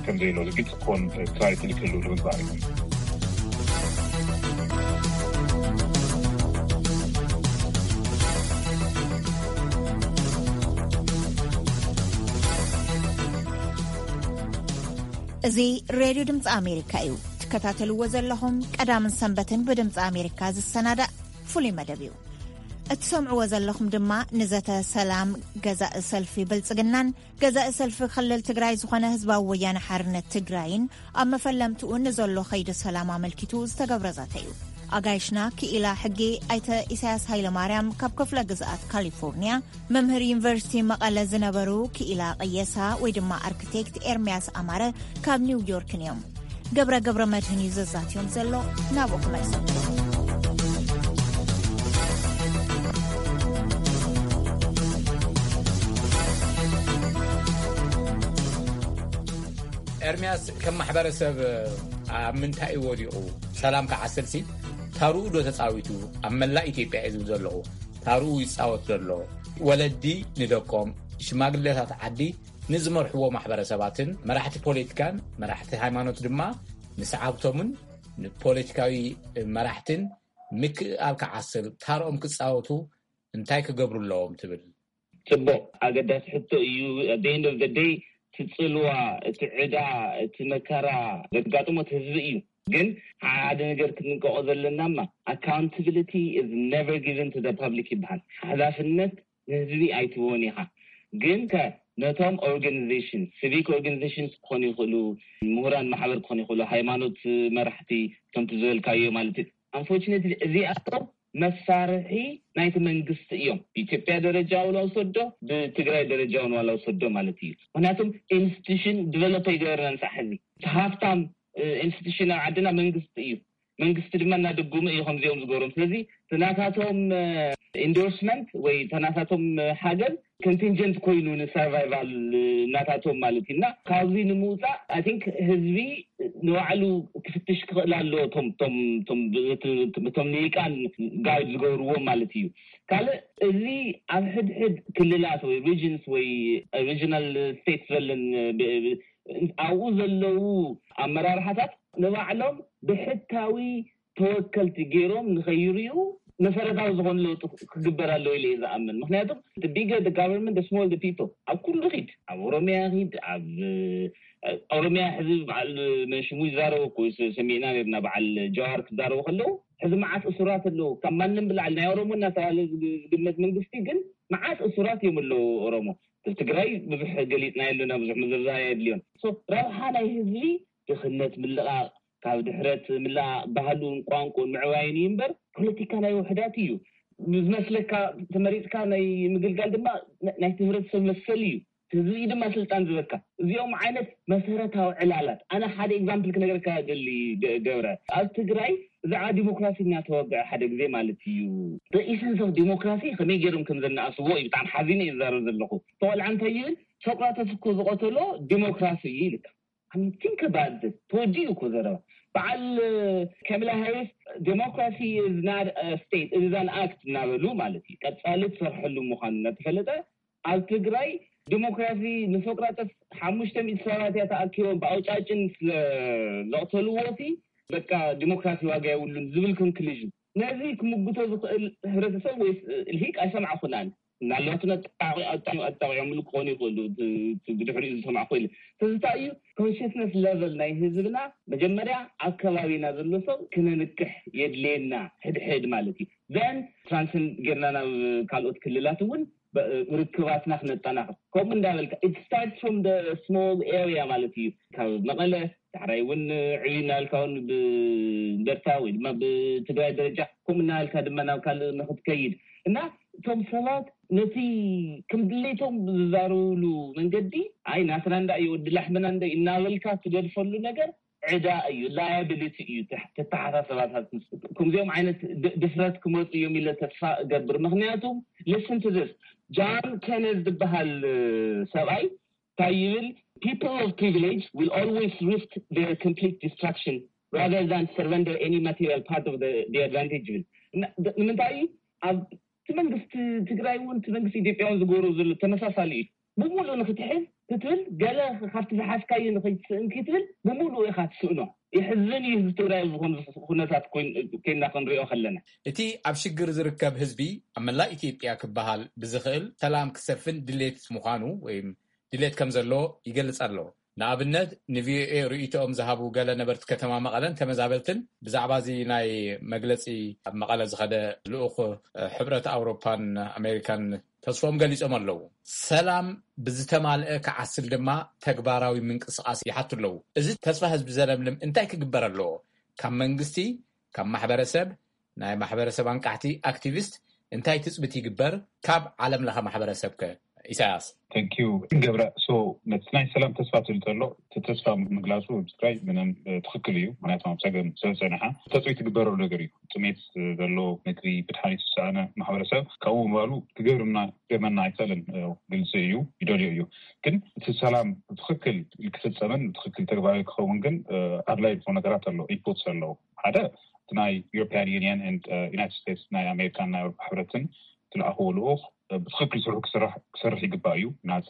ከም ዘይሎ ግልፂ ክኾን ክላሪቲ ልክሉ ንምግባር እዩ። እዚ ሬድዮ ድምፂ ኣሜሪካ እዩ። ትከታተልዎ ዘለኹም ቀዳምን ሰንበትን ብድምፂ ኣሜሪካ ዝሰናዳእ ፍሉይ መደብ እዩ። እትሰምዕዎ ዘለኹም ድማ ንዘተ ሰላም ገዛኢ ሰልፊ ብልፅግናን ገዛኢ ሰልፊ ክልል ትግራይ ዝኾነ ህዝባዊ ወያነ ሓርነት ትግራይን ኣብ መፈለምትኡ ንዘሎ ከይዲ ሰላም ኣመልኪቱ ዝተገብረ ዘተ እዩ። ኣጋይሽና ክኢላ ሕጊ ኣይተ ኢሳያስ ሃይለማርያም ካብ ክፍለ ግዝኣት ካሊፎርኒያ፣ መምህር ዩኒቨርሲቲ መቐለ ዝነበሩ ክኢላ ቀየሳ ወይ ድማ ኣርክቴክት ኤርሚያስ ኣማረ ካብ ኒውዮርክን እዮም። ገብረ ገብረ መድህን እዩ ዘዛትዮም ዘሎ። ናብኡ ክመልሰኩም። ኤርሚያስ፣ ከም ማሕበረሰብ ኣብ ምንታይ እዩ ወዲቑ? ሰላም ክዓስልሲ ታርኡ ዶ ተፃዊቱ? ኣብ መላእ ኢትዮጵያ እዩ ዝብል ዘለኹ። ታርኡ ይፃወት ዘሎ። ወለዲ ንደቆም፣ ሽማግሌታት ዓዲ ንዝመርሕዎ ማሕበረሰባትን መራሕቲ ፖለቲካን መራሕቲ ሃይማኖት ድማ ንሰዓብቶምን ንፖለቲካዊ መራሕትን ምክእኣል ክዓስል ታርኦም ክፃወቱ እንታይ ክገብሩ ኣለዎም ትብል? ጽቡቕ ኣገዳሲ ሕቶ እዩ። At the end of the day እቲ ጽልዋ፣ እቲ ዕዳ፣ እቲ መከራ ዘጋጥሞ እቲ ህዝቢ እዩ። ግን ሓደ ነገር ክንንቀቆ ዘለናማ accountability is never given to the public ይበሃል። ሓላፍነት ንህዝቢ ኣይትህቦን ኢኻ። ግን ከ ነቶም organization፣ civic organizations ክኾኑ ይኽእሉ፣ ምሁራን ማሕበር ክኾኑ ይኽእሉ፣ ሃይማኖት መራሕቲ ከምቲ ዝበልካዮ ማለት እዩ። Unfortunately እዚኣቶም መሳርሒ ናይቲ መንግስቲ እዮም። ብኢትዮጵያ ደረጃ እውን ኣውሰዶ ብትግራይ ደረጃ እውን ዋላ ውሰዶ ማለት እዩ። ምክንያቱም institution develop ኣይገበርናን ሳዕ ሕዚ እቲ ሃፍታም institution ኣብ ዓድና መንግስቲ እዩ። መንግስቲ ድማ እናደጉመ እዩ ከምዚኦም ዝገብሮም። ስለዚ እቲ ናታቶም endorsement ወይ እቲ ናታቶም ሓገዝ contingent ኮይኑ ን survival ናታቶም ማለት እዩ። እና ካብዚ ንምውፃእ I think ህዝቢ ንባዕሉ ክፍትሽ ክኽእል ኣለዎ። እቶም እቶም እቶም እቶም ልሂቃን guide ዝገብርዎም ማለት እዩ። ካልእ እዚ ኣብ ሕድሕድ ክልላት ወይ regions ወይ regional states ዘለን ኣብኡ ዘለዉ ኣመራርሓታት ንባዕሎም ብሕታዊ ተወከልቲ ገይሮም ንኸይርእዩ መሰረታዊ ዝኾነ ለውጢ ክግበር ኣለዎ ኢለ እየ ዝኣምን። ምክንያቱ the bigger the government, the smaller the people። ኣብ ኩሉ ኪድ፣ ኣብ ኦሮሚያ ኪድ፣ ኣብ ኦሮሚያ ሕዚ በዓል መንሽሙ ይዛረቡ እኮ ሰሚዕና ነርና። በዓል ጀዋር ክዛረቡ ከለዉ ሕዚ መዓት እሱራት ኣለዉ። ካብ ማንም ብላዕሊ ናይ ኦሮሞ እናተባህለ ዝግመት መንግስቲ ግን መዓት እሱራት እዮም ኣለዉ ኦሮሞ። ትግራይ ብዙሕ ገሊፅና የለና፣ ብዙሕ ምዝርዛር የድልዮን። ረብሓ ናይ ህዝቢ ድኽነት ምልቓቕ፣ ካብ ድሕረት ምልቓቕ፣ ባህሉን ቋንቁን ምዕባይን እዩ እምበር ፖለቲካ ናይ ውሕዳት እዩ። ዝመስለካ ተመሪፅካ ናይ ምግልጋል ድማ ናይቲ ህብረተሰብ መሰል እዩ። ህዝቢ ድማ ስልጣን ዝበካ። እዚኦም ዓይነት መሰረታዊ ዕላላት። ኣነ ሓደ example ክነገርካ ደሊ ገብረ። ኣብ ትግራይ ብዛዕባ ዲሞክራሲ እናተወግዐ ሓደ ግዜ ማለት እዩ። The essence of democracy ከመይ ገይሮም ከም ዘነኣስዎ እዩ። ብጣዕሚ ሓዚነ እየ ዝዛረብ ዘለኹ። ተቆልዓ እንታይ ይብል? ሶቅራተስ እኮ ዝቐተሎ ዲሞክራሲ እዩ ይልካ። think about this. ተወዲኡ እኮ ዘረባ በዓል ካማላ ሃሪስ፣ democracy is not a state, it is an act እናበሉ ማለት እዩ። ቀጻሊ ትሰርሐሉ ምዃኑ እናተፈለጠ፣ ኣብ ትግራይ ዲሞክራሲ ንሶቅራጠስ ሓሙሽተ ሚእቲ ሰባት እያ ተኣኪቦም ብኣውጫጭን ስለ ዘቕተልዎ ሲ በቃ ዲሞክራሲ ዋጋ የብሉን ዝብል conclusion። ነዚ ክምጉቶ ዝኽእል ሕብረተሰብ ወይ ልሂቅ ኣይሰማዕኹን ኣነ። ምናልባት እውን ኣጣቂዖምሉ ክኾኑ ይኽእሉ፣ ብድሕሪኡ ዝሰማዕኩ ኢለ። ስለዚ እንታይ እዩ፣ consciousness level ናይ ህዝብና መጀመርያ ኣብ ከባቢና ዘሎ ሰብ ክነንቅሕ የድልየና፣ ሕድሕድ ማለት እዩ። Then transcend ጌርና ናብ ካልኦት ክልላት እውን ርክባትና ክነጠናኽር። ከምኡ እንዳበልካ it starts from the small area ማለት እዩ። ካብ መቐለ ዳሕራይ እውን ዕብይ እናበልካ እውን ብእንደርታ ወይ ድማ ብትግራይ ደረጃ ከምኡ እናበልካ ድማ ናብ ካልእ ንክትከይድ እና እቶም ሰባት ነቲ ከም ድሌቶም ዝዛረብሉ መንገዲ፣ ኣይ ናትና እንዳ እዩ፣ ወዲ ላሕምና እንዳ እዩ እናበልካ ትገድፈሉ ነገር ዕዳ እዩ፣ liability እዩ። ተተሓሳሰባታት ከምዚኦም ዓይነት ድፍረት ክመፁ እዮም ኢለ ተስፋ እገብር። ምክንያቱ listen to this, John Kenneth ዝበሃል ሰብኣይ እንታይ ይብል? People of privilege will always risk their complete destruction rather than surrender any material part of the advantage ይብል። ንምንታይ ኣብ እቲ መንግስቲ ትግራይ እውን እቲ መንግስቲ ኢትዮጵያ እውን ዝገብሮ ዘሎ ተመሳሳሊ እዩ። ብሙሉእ ንክትሕዝ ክትብል ገለ ካብቲ ዝሓዝካዮ ንክትስእን ክትብል ብሙሉእ ኢካ ትስእኖ። ይሕዝን እዩ ህዝቢ ትግራይ ኣብ ዝኾነ ኩነታት ኮይንና ክንሪኦ ከለና። እቲ ኣብ ሽግር ዝርከብ ህዝቢ ኣብ መላእ ኢትዮጵያ ክበሃል ብዝኽእል ሰላም ክሰፍን ድሌት ምዃኑ ወይ ድሌት ከም ዘሎ ይገልጽ ኣሎ። ንኣብነት ንቪኦኤ ርእይቶኦም ዝሃቡ ገለ ነበርቲ ከተማ መቐለን ተመዛበልትን ብዛዕባ እዚ ናይ መግለጺ ኣብ መቐለ ዝኸደ ልኡኽ ሕብረት ኣውሮፓን ኣሜሪካን ተስፎም ገሊጾም ኣለዉ። ሰላም ብዝተማልአ ክዓስል ድማ ተግባራዊ ምንቅስቓስ ይሓቱ ኣለዉ። እዚ ተስፋ ህዝቢ ዘለምልም እንታይ ክግበር ኣለዎ? ካብ መንግስቲ፣ ካብ ማሕበረሰብ፣ ናይ ማሕበረሰብ ኣንቃሕቲ፣ ኣክቲቪስት እንታይ ትፅቢት ይግበር? ካብ ዓለም ለኸ ማሕበረሰብ ከ? ኢሳያስ። Thank you ገብረ። So ነቲ ናይ ሰላም ተስፋ ትብል ተሎ፣ እቲ ተስፋ ምግላፁ ኣብ ትግራይ ምንም ትክክል እዩ። ምክንያቱ ኣብ ፀገም ስለዝፀንሐ ተፅቢት ትግበረሉ ነገር እዩ። ጥሜት ዘሎ፣ ምግቢ ብድሓን ዝተሰኣነ ማሕበረሰብ ካብኡ ምባሉ ክገብርና ገመና ኣይክእልን። ግልፂ እዩ፣ ይደልዮ እዩ። ግን እቲ ሰላም ብትክክል ክፍፀምን ብትክክል ተግባራዊ ክኸውን ግን ኣድላይ ዝኾኑ ነገራት ኣሎ፣ ኢንፑትስ ኣለዉ። ሓደ እቲ ናይ European Union and United States፣ ናይ ኣሜሪካን ናይ ኣውሮፓ ሕብረትን ዝለኣኽዎ ልኡኽ ብትክክል ስርሑ ክሰርሕ ይግባእ እዩ። ናፃ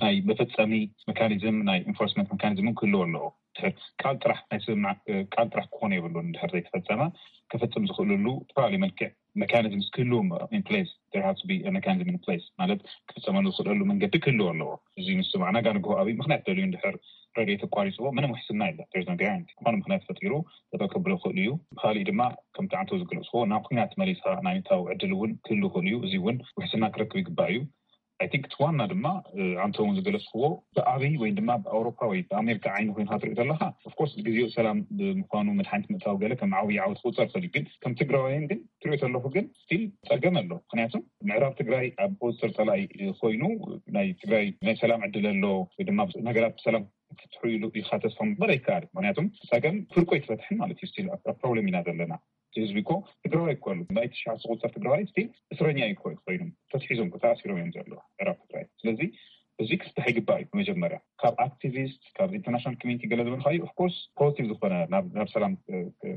ናይ መፈፀሚ መካኒዝም፣ ናይ ኢንፎርስመንት መካኒዝም ክህልዎ ኣለዎ። ቃል ጥራሕ ናይ ስምምዕ ቃል ጥራሕ ክኾኑ የብሉን። እንድሕር ዘይተፈፀመ ክፍፅም ዝኽእልሉ ዝተፈላለዩ መልክዕ መካኒዝምስ ክህልው in place። There has to be a mechanism in place ማለት ክፍፀመሉ ዝኽእለሉ መንገዲ ክህልው ኣለዎ። እዚ ምስ ሰማዕና ጋር ንግሆ ኣብይ ምክንያት ደልዩ እንድሕር ረድኤት ኣቋሪፅዎ ምንም ውሕስና የለ። There's no guarantee። ዝኾነ ምክንያት ፈጢሩ ጠጠው ከብሎ ይኽእል እዩ። ብካሊእ ድማ ከምቲ ዓንተው ዝገለፅዎ ናብ ኩናት መሊስካ ናይ ምእታው ዕድል እውን ክህሉ ይኽእል እዩ። እዚ እውን ውሕስና ክረክብ ይግባእ እዩ። I think እቲ ዋና ድማ ዓንተው እውን ዝገለፅዎ ብኣብይ ወይ ድማ ብኣውሮፓ ወይ ብኣሜሪካ ዓይኒ ኮይንካ ትሪኦ ዘለካ of course ግዜኡ ሰላም ብምኳኑ መድሓኒት ምእታው ገለ ከም ዓብዪ ዓወት ክቁፀር ይኽእል እዩ። ግን ከም ትግራዋይን ግን ትሪኦ ዘለኹ ግን ስቲል ፀገም ኣሎ። ምክንያቱ ምዕራብ ትግራይ ኣብ ቁፅፅር ፀላኢ ኮይኑ ናይ ትግራይ ናይ ሰላም ዕድል ኣሎ ወይ ድማ ነገራት ብሰላም ክፍትሑ ኢሉ ኢልካ ተስፋ ምግባር ኣይከኣልን። ምክንያቱ ፀገም ፍርቁ ኣይተፈትሐን ማለት እዩ። ስቲል ኣብ ፕሮብለም ኢና ዘለና። እቲ ህዝቢ እኮ ትግራዋይ እኮ ኣሎ። ናይ ትሽዓተ ዝቁፀር ትግራዋይ ስቲል እስረኛ እዩ እኮ ኮይኑ ተትሒዞም እኮ ተኣሲሮም እዮም ዘለዉ ምዕራብ ትግራይ። ስለዚ እዚ ክፍታሕ ይግባእ እዩ። መጀመርያ ካብ ኣክቲቪስት ካብ ኢንተርናሽናል ኮሚኒቲ ገለ ዝበልካዩ of course ፖዚቲቭ ዝኾነ ናብ ሰላም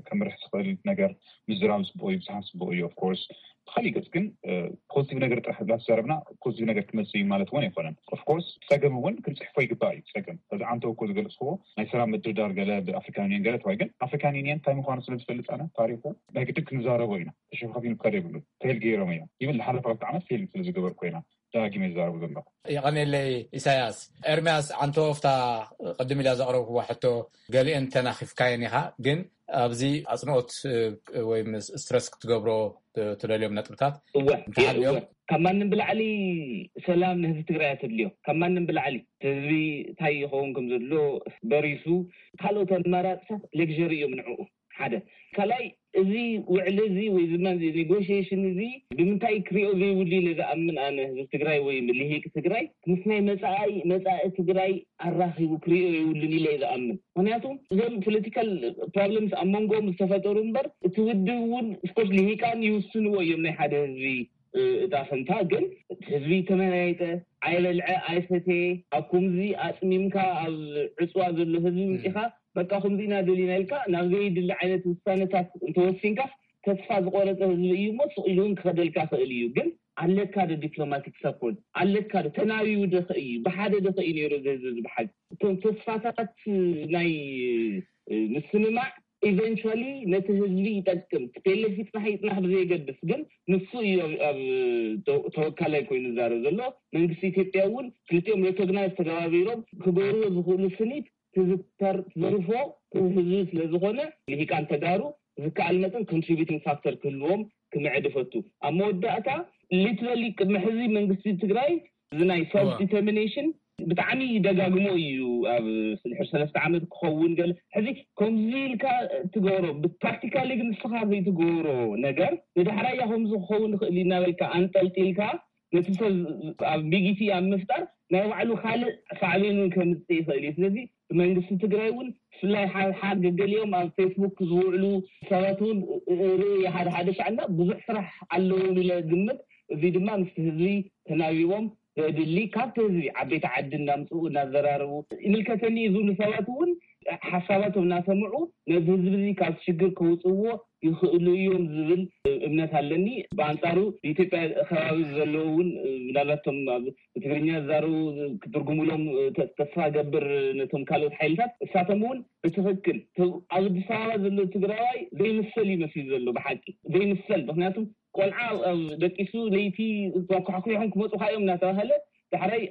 ከምርሕ ዝኽእል ነገር ምዝራብ ፅቡቅ እዩ፣ ብዝሓን ፅቡቅ እዩ። Of course ብካሊእ ገፅ ግን ፖዚቲቭ ነገር ጥራሕ እንዳተዛረብና ፖዚቲቭ ነገር ክመፅእ እዩ ማለት እውን ኣይኮነን። Of course ፀገም እውን ክንፅሕፎ ይግባእ እዩ። ፀገም በዚ ዓንተው እኮ ዝገለፅክዎ ናይ ሰላም ምድርዳር ገለ ብኣፍሪካን ዩኒየን ገለ ተባሂሉ፣ ግን ኣፍሪካን ዩኒየን እንታይ ምኳኑ ስለዝፈልጥ ኣነ ታሪኩ ናይ ግድን ክንዛረቦ ኢና። ተሸፋፊኑ ክካድ የብሉን። ፌል ገይሮም እዮም። ኢቨን ዝሓለፈ ክልተ ዓመት ፌል ስለዝገበርኩ ኢና ደጋጊመ ይዛረቡ ዘለኹ። የቐኔለይ ኢሳያስ። ኤርምያስ ዓንተወፍታ ቅድም ኢላ ዘቕረብክዋ ሕቶ ገሊአን ተናኺፍካየን ኢኻ፣ ግን ኣብዚ ኣፅንኦት ወይ ስትረስ ክትገብሮ ትደልዮም ነጥብታት እወ እንተሃልዮም እወ። ካብ ማንም ብላዕሊ ሰላም ንህዝቢ ትግራይ ተድልዮ፣ ካብ ማንም ብላዕሊ ህዝቢ እንታይ ይኸውን ከም ዘሎ በሪሱ ካልኦት ኣማራፅታት ሌግሪ እዮም ንዕኡ ሓደ ካልኣይ እዚ ውዕሊ እዚ ወይ ድማ ኔጎሽሽን እዚ ብምንታይ ክሪኦ ዘይብሉ ኢለ ዝኣምን ኣነ ህዝቢ ትግራይ ወይ ልሂቅ ትግራይ ምስ ናይ መፃኢ መፃኢ ትግራይ ኣራኺቡ ክሪኦ የብሉን ኢለ ዝኣምን። ምክንያቱ እዞም ፖለቲካል ፕሮብለምስ ኣብ መንጎኦም ዝተፈጠሩ እምበር እቲ ውድብ እውን ስኮርስ ልሂቃን ይውስንዎ እዮም ናይ ሓደ ህዝቢ እጣ ፈንታ። ግን ህዝቢ ተመያየጠ፣ ኣይበልዐ ኣይሰተየ፣ ኣብ ከምዚ ኣፅሚምካ ኣብ ዕፅዋ ዘሎ ህዝቢ ምፂኻ በቃ ከምዚ ኢና ደሊና ኢልካ ናብ ዘይድሊ ዓይነት ውሳነታት እንተወሲንካ ተስፋ ዝቆረፀ ህዝቢ እዩ እሞ ስቕ ኢሉ እውን ክኸደልካ ክእል እዩ። ግን ኣለካ ዶ ዲፕሎማቲክ ሰፖርት? ኣለካ ዶ? ተናቢቡ ዶ ከ እዩ? ብሓደ ዶ ከ እዩ ነይሩ እዚ ህዝቢ እዚ ብሓቂ? እቶም ተስፋታት ናይ ምስምማዕ ኢቨንቹዋሊ ነቲ ህዝቢ ይጠቅም። ቲፒኤልኤፍ ይፅናሕ ይፅናሕ ብዘየገድስ ግን ንሱ እዩ ኣብ ተወካላይ ኮይኑ ዝዛረብ ዘሎ። መንግስቲ ኢትዮጵያ እውን ክልቲኦም ሬኮግናይዝ ተገባቢሮም ክገብርዎ ዝኽእሉ ስኒት ትዝተር ትዝርፎ ህዝቢ ስለዝኾነ ልሂቃን ተጋሩ ዝከኣል መጠን ኮንትሪቢቲንግ ፋክተር ክህልዎም ክምዕድ እፈቱ። ኣብ መወዳእታ ሊትራሊ ቅድሚ ሕዚ መንግስቲ ትግራይ እዚ ናይ ሰልፍ ዲተርሚኔሽን ብጣዕሚ ደጋግሞ እዩ። ኣብ ስልሕር ሰለስተ ዓመት ክኸውን ገለ ሕዚ ከምዚ ኢልካ ትገብሮ ብፕራክቲካሊ ግን ንስኻ ዘይትገብሮ ነገር ንዳሕራያ ከምዚ ክኸውን ይኽእል እዩ እናበልካ ኣንጠልጢልካ ነቲ ሰብ ኣብ ቢጊቲ ኣብ ምፍጣር ናይ ባዕሉ ካልእ ሳዕቤን እውን ከምፅእ ይኽእል እዩ። ስለዚ መንግስቲ ትግራይ እውን ብፍላይ ሓሓር ገገሊኦም ኣብ ፌስቡክ ዝውዕሉ ሰባት እውን ርኢ ሓደ ሓደ ሻዕና ብዙሕ ስራሕ ኣለዎም ኢለ ግምት። እዚ ድማ ምስቲ ህዝቢ ተናቢቦም ዘድሊ ካብቲ ህዝቢ ዓበይቲ ዓዲ እናምፅኡ እናዘራረቡ ይምልከተኒ እዩ ዝብሉ ሰባት እውን ሓሳባቶም እናሰምዑ ነዚ ህዝቢ እዚ ካብ ሽግር ከውፅዎ ይኽእሉ እዮም ዝብል እምነት ኣለኒ። ብኣንፃሩ ብኢትዮጵያ ከባቢ ዘለዉ እውን ምናልባት ቶም ኣብ ብትግርኛ ዝዛረቡ ክትርጉሙሎም ተስፋ ገብር ነቶም ካልኦት ሓይልታት እሳቶም እውን ብትኽክል ኣብ ኣዲስ ኣበባ ዘሎ ትግራዋይ ዘይምሰል እዩ መሲሉ ዘሎ ብሓቂ ዘይምሰል። ምክንያቱም ቆልዓ ደቂሱ ለይቲ ኳሕኩ ይኹን ክመፁ ካዮም እናተባሃለ ዳሕራይ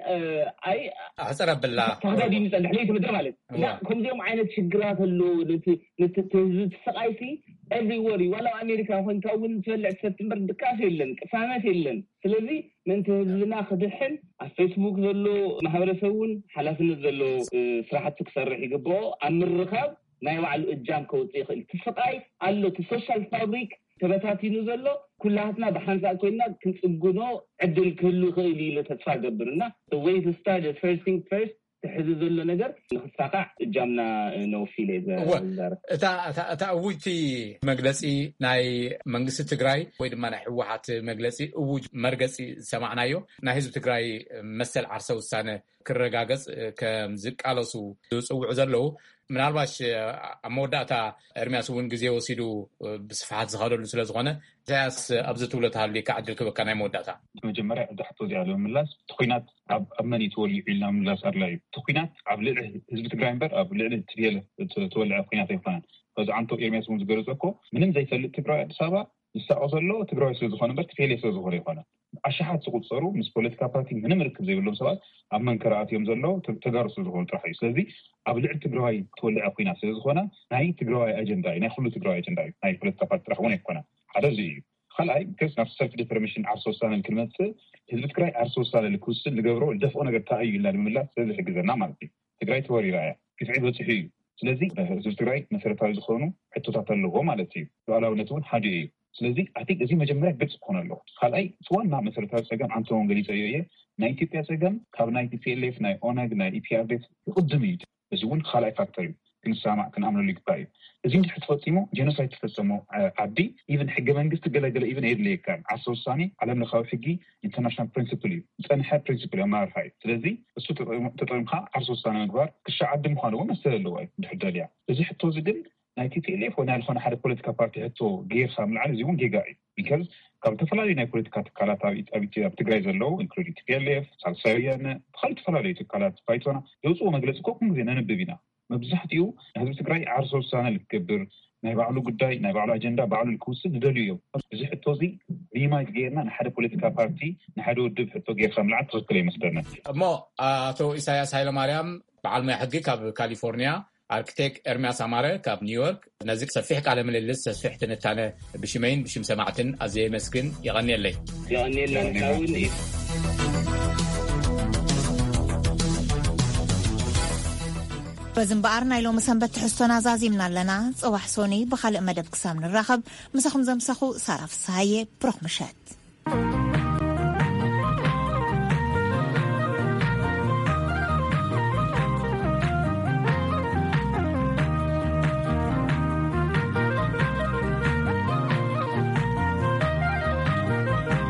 ኣይ ኣሕፀር ኣብላ ተኸዳዲኑ ይፀንሕ ለይቲ ምድሪ ማለት እና ከምዚኦም ዓይነት ሽግራት ኣለዉ። ነቲ ህዝቢ ትሰቃይሲ ኤቭሪወሪ ዋላ ኣብ ኣሜሪካ ኮይንካ እውን ትበልዕ ትሰቲ እምበር ድቃስ የለን ቅሳነት የለን። ስለዚ ምእንቲ ህዝብና ክድሕን ኣብ ፌስቡክ ዘሎ ማህበረሰብ እውን ሓላፍነት ዘሎ ስራሕቲ ክሰርሕ ይግብኦ። ኣብ ምርኻብ ናይ ባዕሉ እጃም ከውፅእ ይኽእል። እቲ ስቃይ ኣሎ። እቲ ሶሻል ፋብሪክ ተበታቲኑ ዘሎ ኩላትና ብሓንሳእ ኮይና ክንፅግኖ ዕድል ክህሉ ይኽእል ኢለ ተስፋ ገብር እና ወይ ስታርት ፈርስት ቲንግ ፈርስት ትሕዚ ዘሎ ነገር ንክሳካዕ እጃምና ነውፊ ኢለ እወ። ዝዛረብ እታ እታ እታ እውጅቲ መግለፂ ናይ መንግስቲ ትግራይ ወይ ድማ ናይ ህወሓት መግለፂ እውጅ መርገፂ ዝሰማዕናዮ ናይ ህዝቢ ትግራይ መሰል ዓርሰ ውሳነ ክረጋገፅ ከም ዝቃለሱ ዝፅውዑ ዘለዉ ምናልባሽ ኣብ መወዳእታ ኤርሚያስ እውን ግዜ ወሲዱ ብስፍሓት ዝኸደሉ ስለ ዝኾነ ኢሳያስ ኣብዚ ትብሎ ተሃልዩካ ዕድል ክበካ ናይ መወዳእታ። መጀመርያ እዛ ሕቶ እዚኣ ንምምላስ እቲ ኩናት ኣብ ኣብ መን እዩ ተወሊዑ ኢልና ምምላስ ኣድላይ እዩ። እቲ ኩናት ኣብ ልዕሊ ህዝቢ ትግራይ እምበር ኣብ ልዕሊ ትቤለ ተወልዐ ኩናት ኣይኮነን። በዚ ዓንቶ ኤርሚያስ እውን ዝገለጸ እኮ ምንም ዘይፈልጥ ትግራዊ ኣዲስ ኣበባ ዝሳቆ ዘሎ ትግራዊ ስለ ዝኾነ እምበር ትቤለ ስለ ዝኾነ ኣይኮነን። ኣሽሓት ዝቁጸሩ ምስ ፖለቲካ ፓርቲ ምንም ርክብ ዘይብሎም ሰባት ኣብ መንከራ ኣትዮም ዘለዉ ተጋሩ ስለ ዝኾኑ ጥራሕ እዩ። ስለዚ ኣብ ልዕሊ ትግራዋይ ተወልዐ ኩናት ስለ ዝኾነ ናይ ትግራዋይ ኣጀንዳ እዩ፣ ናይ ኩሉ ትግራዋይ ኣጀንዳ እዩ፣ ናይ ፖለቲካ ፓርቲ ጥራሕ እውን ኣይኮነን። ሓደ እዚ እዩ። ካልኣይ ከስ ናብ ሰልፍ ዲተርሚኔሽን ዓርሰ ውሳነ ክንመፅእ ህዝቢ ትግራይ ዓርሰ ውሳነ ክውስን ንገብሮ ንደፍኦ ነገር እንታይ እዩ ኢልና ንምምላስ ስለ ዝሕግዘና ማለት እዩ። ትግራይ ተወሪራ እያ፣ ግፍዒ በፂሑ እዩ። ስለዚ ህዝቢ ትግራይ መሰረታዊ ዝኾኑ ሕቶታት ኣለዎ ማለት እዩ። ሉዓላውነት እውን ሓደ እዩ። ስለዚ ኣይ ቲንክ እዚ መጀመርያ ግልፂ ክኾነ ኣለዎ። ካልኣይ እቲ ዋና መሰረታዊ ፀገም ዓንተውን ገሊፀዮ እየ። ናይ ኢትዮጵያ ፀገም ካብ ናይ ቲ ፒ ኤል ኤፍ ናይ ኦነግ ናይ ኢ ፒ ኣር ዲ ኤፍ ይቕድም እዩ። እዚ እውን ካልኣይ ፋክተር እዩ። ክንሰማማዕ ክንኣምነሉ ይግባእ እዩ። እዚ እንድሕር ተፈፂሙ ጀኖሳይድ ተፈፀሞ ዓዲ ኢቨን ሕገ መንግስቲ ገለገለ ኢቨን የድልየካ ዓርሰ ውሳኔ ዓለም ለኻዊ ሕጊ ኢንተርናሽናል ፕሪንስፕል እዩ። ዝፀንሐ ፕሪንስፕል እዩ ኣመራርሓ እዩ። ስለዚ እሱ ተጠቂምካ ዓርሰ ውሳነ ምግባር ክሻ ዓዲ ምዃኑ እውን መሰል ኣለዎ እዩ እንድሕር ደልያ። እዚ ሕቶ እዚ ግን ናይ ቲ ፒ ኤል ኤፍ ወይ ናይ ዝኾነ ሓደ ፖለቲካ ፓርቲ ሕቶ ጌርካ ምልዓል እዚ እውን ጌጋ እዩ። ቢካዝ ካብ ዝተፈላለዩ ናይ ፖለቲካ ትካላት ኣብ ትግራይ ዘለዉ ኢንክሉዲንግ ቲ ፒ ኤል ኤፍ፣ ሳልሳይ ወያነ፣ ብካልእ ዝተፈላለዩ ትካላት ባይቶና ዘውፅዎ መግለፂ እኮ ኩሉ ግዜ ነንብብ ኢና። መብዛሕትኡ ህዝቢ ትግራይ ዓርሰ ውሳነ ልክገብር ናይ ባዕሉ ጉዳይ ናይ ባዕሉ ኣጀንዳ ባዕሉ ልክውስን ዝደልዩ እዮም። እዚ ሕቶ እዚ ሚኒማይዝ ገይርና ንሓደ ፖለቲካ ፓርቲ ንሓደ ውድብ ሕቶ ገይርካ ምልዓል ትኽክል ኣይመስለንን። እሞ ኣቶ ኢሳያስ ሃይለማርያም በዓል ሙያ ሕጊ ካብ ካሊፎርኒያ ኣርክቴክ ኤርሚያስ ኣማረ ካብ ኒውዮርክ ነዚ ሰፊሕ ቃለ ምልልስ ሰፊሕ ትንታነ ብሽመይን ብሽም ሰማዕትን ኣዝየ የመስግን። የቐንየለይ። የቐንየልና ንሕና እውን። በዚ እምበኣር ናይ ሎሚ ሰንበት ትሕዝቶና ዛዚምና ኣለና። ጽባሕ ሶኒ ብኻልእ መደብ ክሳብ ንራኸብ ምሳኹም ዘምሰኹ ሳራ ፍስሃየ። ብሩኽ ምሸት።